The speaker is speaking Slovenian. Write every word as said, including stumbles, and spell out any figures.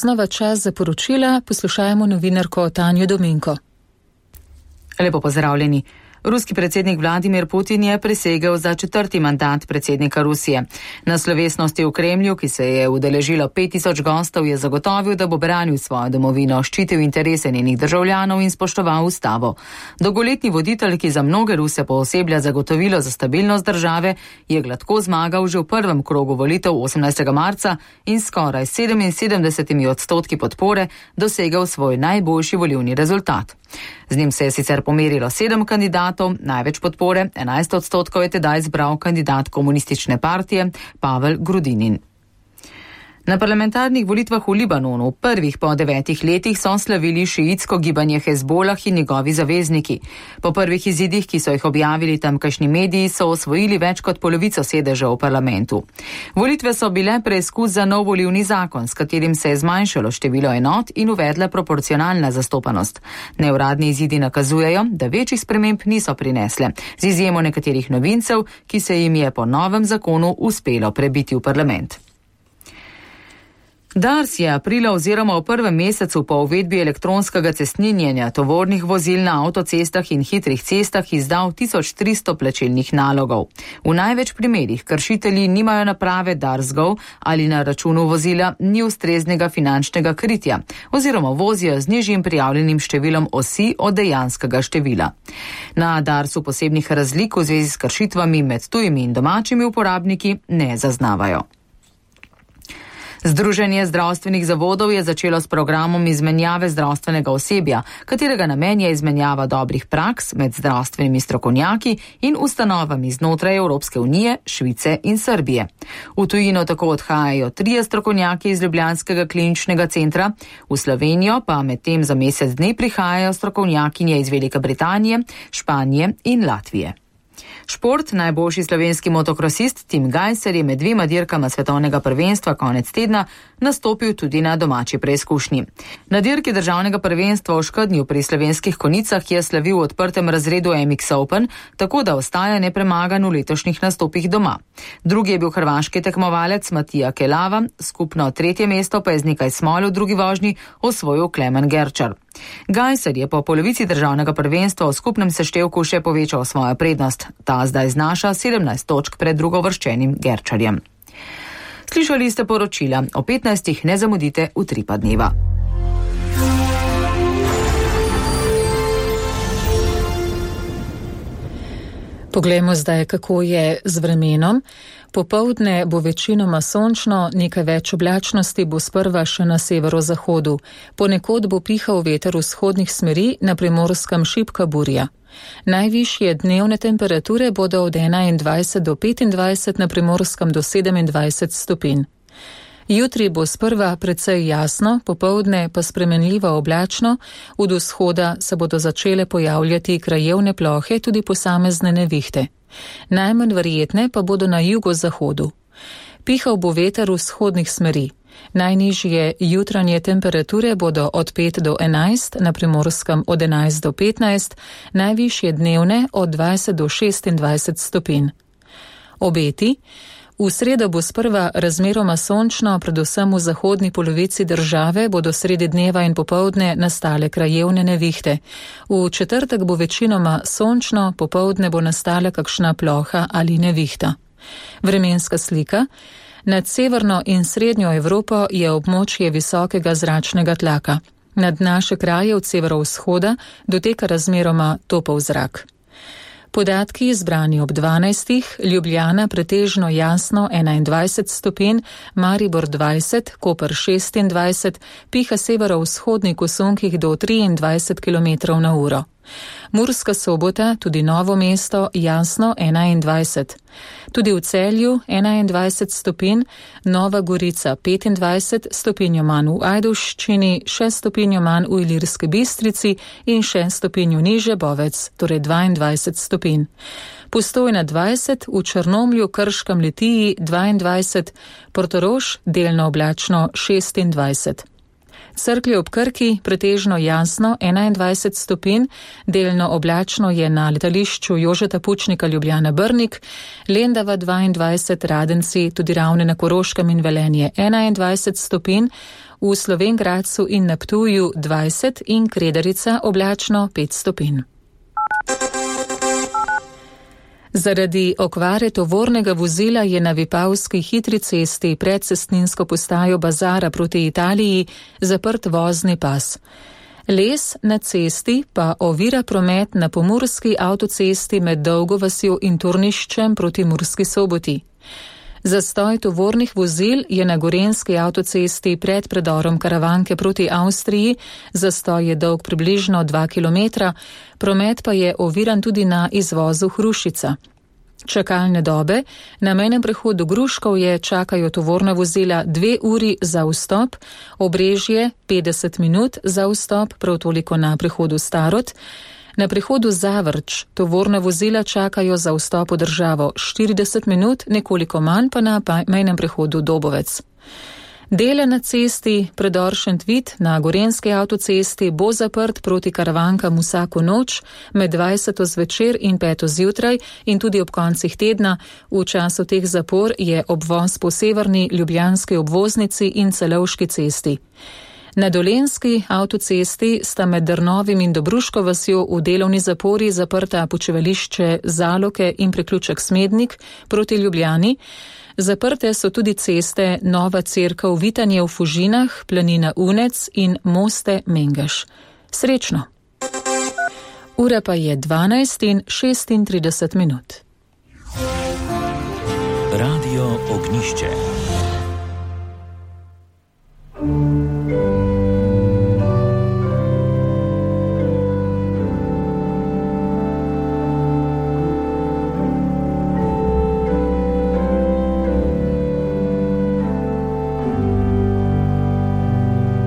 Znova čas za poročila, poslušajmo novinarko Tanjo Dominko. Lepo pozdravljeni. Ruski predsednik Vladimir Putin je prisegel za četrti mandat predsednika Rusije. Na slovesnosti v Kremlju, ki se je udeležilo pet tisoč gostov, je zagotovil, da bo branil svojo domovino, ščitil interese njenih državljanov in spoštoval ustavo. Dolgoletni voditelj, ki za mnoge Ruse pooseblja zagotovilo za stabilnost države, je gladko zmagal že v prvem krogu volitev osemnajstega marca in skoraj sedeminsedemdeset odstotki podpore dosegel svoj najboljši volilni rezultat. Z njim se je sicer pomerilo sedem kandidatov, največ podpore, enajst odstotkov je tedaj zbral kandidat komunistične partije Pavel Grudinin. Na parlamentarnih volitvah v Libanonu, prvih po devetih letih, so slavili šiitsko gibanje Hezbolah in njegovi zavezniki. Po prvih izidih, ki so jih objavili tamkajšnji mediji, so osvojili več kot polovico sedežev v parlamentu. Volitve so bile preizkus za nov volilni zakon, s katerim se je zmanjšalo število enot in uvedla proporcionalna zastopanost. Neuradni izidi nakazujejo, da večjih sprememb niso prinesle, z izjemo nekaterih novincev, ki se jim je po novem zakonu uspelo prebiti v parlament. Dars je aprila oziroma v prvem mesecu po uvedbi elektronskega cestninjenja tovornih vozil na avtocestah in hitrih cestah izdal tisoč tristo plačilnih nalogov. V največ primerih kršitelji nimajo naprave Dars.gov ali na računu vozila ni ustreznega finančnega kritja oziroma vozijo z nižjim prijavljenim številom osi od dejanskega števila. Na Darsu posebnih razlik v zvezi s kršitvami med tujimi in domačimi uporabniki ne zaznavajo. Združenje zdravstvenih zavodov je začelo s programom izmenjave zdravstvenega osebja, katerega namen je izmenjava dobrih praks med zdravstvenimi strokovnjaki in ustanovami znotraj Evropske unije, Švice in Srbije. V tujino tako odhajajo trije strokovnjaki iz ljubljanskega kliničnega centra, v Slovenijo pa medtem za mesec dni prihajajo strokovnjakinje iz Velike Britanije, Španije in Latvije. Šport, najboljši slovenski motokrosist Tim Gajser je med dvema dirkama svetovnega prvenstva konec tedna nastopil tudi na domači preizkušnji. Na dirki državnega prvenstva v Škednju pri slovenskih konicah je slavil v odprtem razredu M X Open, tako da ostaja nepremagan v letošnjih nastopih doma. Drugi je bil hrvaški tekmovalec Matija Kelava, skupno tretje mesto pa je z nekaj smol v drugi vožnji osvojil Klemen Gerčar. Gajser je po polovici državnega prvenstva v skupnem seštevku še povečal svojo prednost. Ta zdaj znaša sedemnajst točk pred drugovrščenim Gerčarjem. Slišali ste poročila, o petnajstih ne zamudite v tri pa dneva. Poglejmo zdaj, kako je z vremenom. Popoldne bo večinoma sončno, nekaj več oblačnosti bo sprva še na severozahodu. Ponekod bo pihal veter vzhodnih smeri, na Primorskem šibka burja. Najvišje dnevne temperature bodo od enaindvajset do petindvajset, na Primorskem do sedemindvajset stopinj. Jutri bo sprva precej jasno, popoldne pa spremenljivo oblačno, od vzhoda se bodo začele pojavljati krajevne plohe, tudi posamezne nevihte. Najmanj verjetne pa bodo na jugozahodu. Pihal bo veter vzhodnih smeri. Najnižje jutranje temperature bodo od pet do enajst, na Primorskem od enajst do petnajst, najvišje dnevne od dvajset do šestindvajset stopinj. Obeti. V sredo bo sprva razmeroma sončno, predvsem v zahodni polovici države bodo sredi dneva in popoldne nastale krajevne nevihte. V četrtek bo večinoma sončno, popoldne bo nastala kakšna ploha ali nevihta. Vremenska slika. Nad severno in srednjo Evropo je območje visokega zračnega tlaka. Nad naše kraje od severovzhoda doteka razmeroma topel zrak. Podatki zbrani ob dvanajstih, Ljubljana pretežno jasno enaindvajset stopinj, Maribor dvajset, Koper šestindvajset, piha severovzhodni kosunkih do triindvajset kilometrov na uro. Murska Sobota, tudi Novo mesto, jasno enaindvajset. Tudi v Celju enaindvajset stopinj, Nova Gorica petindvajset, stopinjo manj v Ajdovščini, šest stopinjo manj v Ilirski Bistrici in šest stopinjo niže Bovec, torej dvaindvajset stopinj. Postojna dvajset, v Črnomlju, Krškem, Litiji dvaindvajset, Portorož delno oblačno šestindvajset. Cerklje ob Krki pretežno jasno enaindvajset stopinj, delno oblačno je na letališču Jožeta Pučnika Ljubljana Brnik, Lendava dvaindvajset, Radenci, tudi Ravne na Koroškem in Velenje enaindvajset stopinj, v Slovenj Gradcu in na Ptuju dvajset in Kredarica oblačno pet stopinj. Zaradi okvare tovornega vozila je na Vipavski hitri cesti pred cestninsko postajo Bazara proti Italiji zaprt vozni pas. Les na cesti pa ovira promet na pomurski avtocesti med Dolgo vasjo in Turniščem proti Murski Soboti. Zastoj tovornih vozil je na gorenjski avtocesti pred predorom Karavanke proti Avstriji, zastoj je dolg približno dva kilometra, promet pa je oviran tudi na izvozu Hrušica. Čakalne dobe na mejnem prehodu Gruškovje čakajo tovorna vozila dve uri za vstop, Obrežje petdeset minut za vstop, prav toliko na prehodu Starod. Na prehodu Zavrč tovorna vozila čakajo za vstop v državo štirideset minut, nekoliko manj pa na mejnem prehodu Dobovec. Dele na cesti predor Šentvid na gorenjski avtocesti bo zaprt proti Karavankam vsako noč med dvajseto zvečer in peto zjutraj in tudi ob koncih tedna. V času teh zapor je obvoz po severni ljubljanski obvoznici in Celovški cesti. Na Dolenjski avtocesti sta med Drnovim in Dobruško vasjo v delovni zapori zaprta počivališče Zaloke in priključek Smednik proti Ljubljani. Zaprte so tudi ceste Nova Cerkev Vitanje v Fužinah, Planina Unec in Moste Mengeš. Srečno! Ura pa je dvanajst in šestintrideset minut. Radio Ognišče.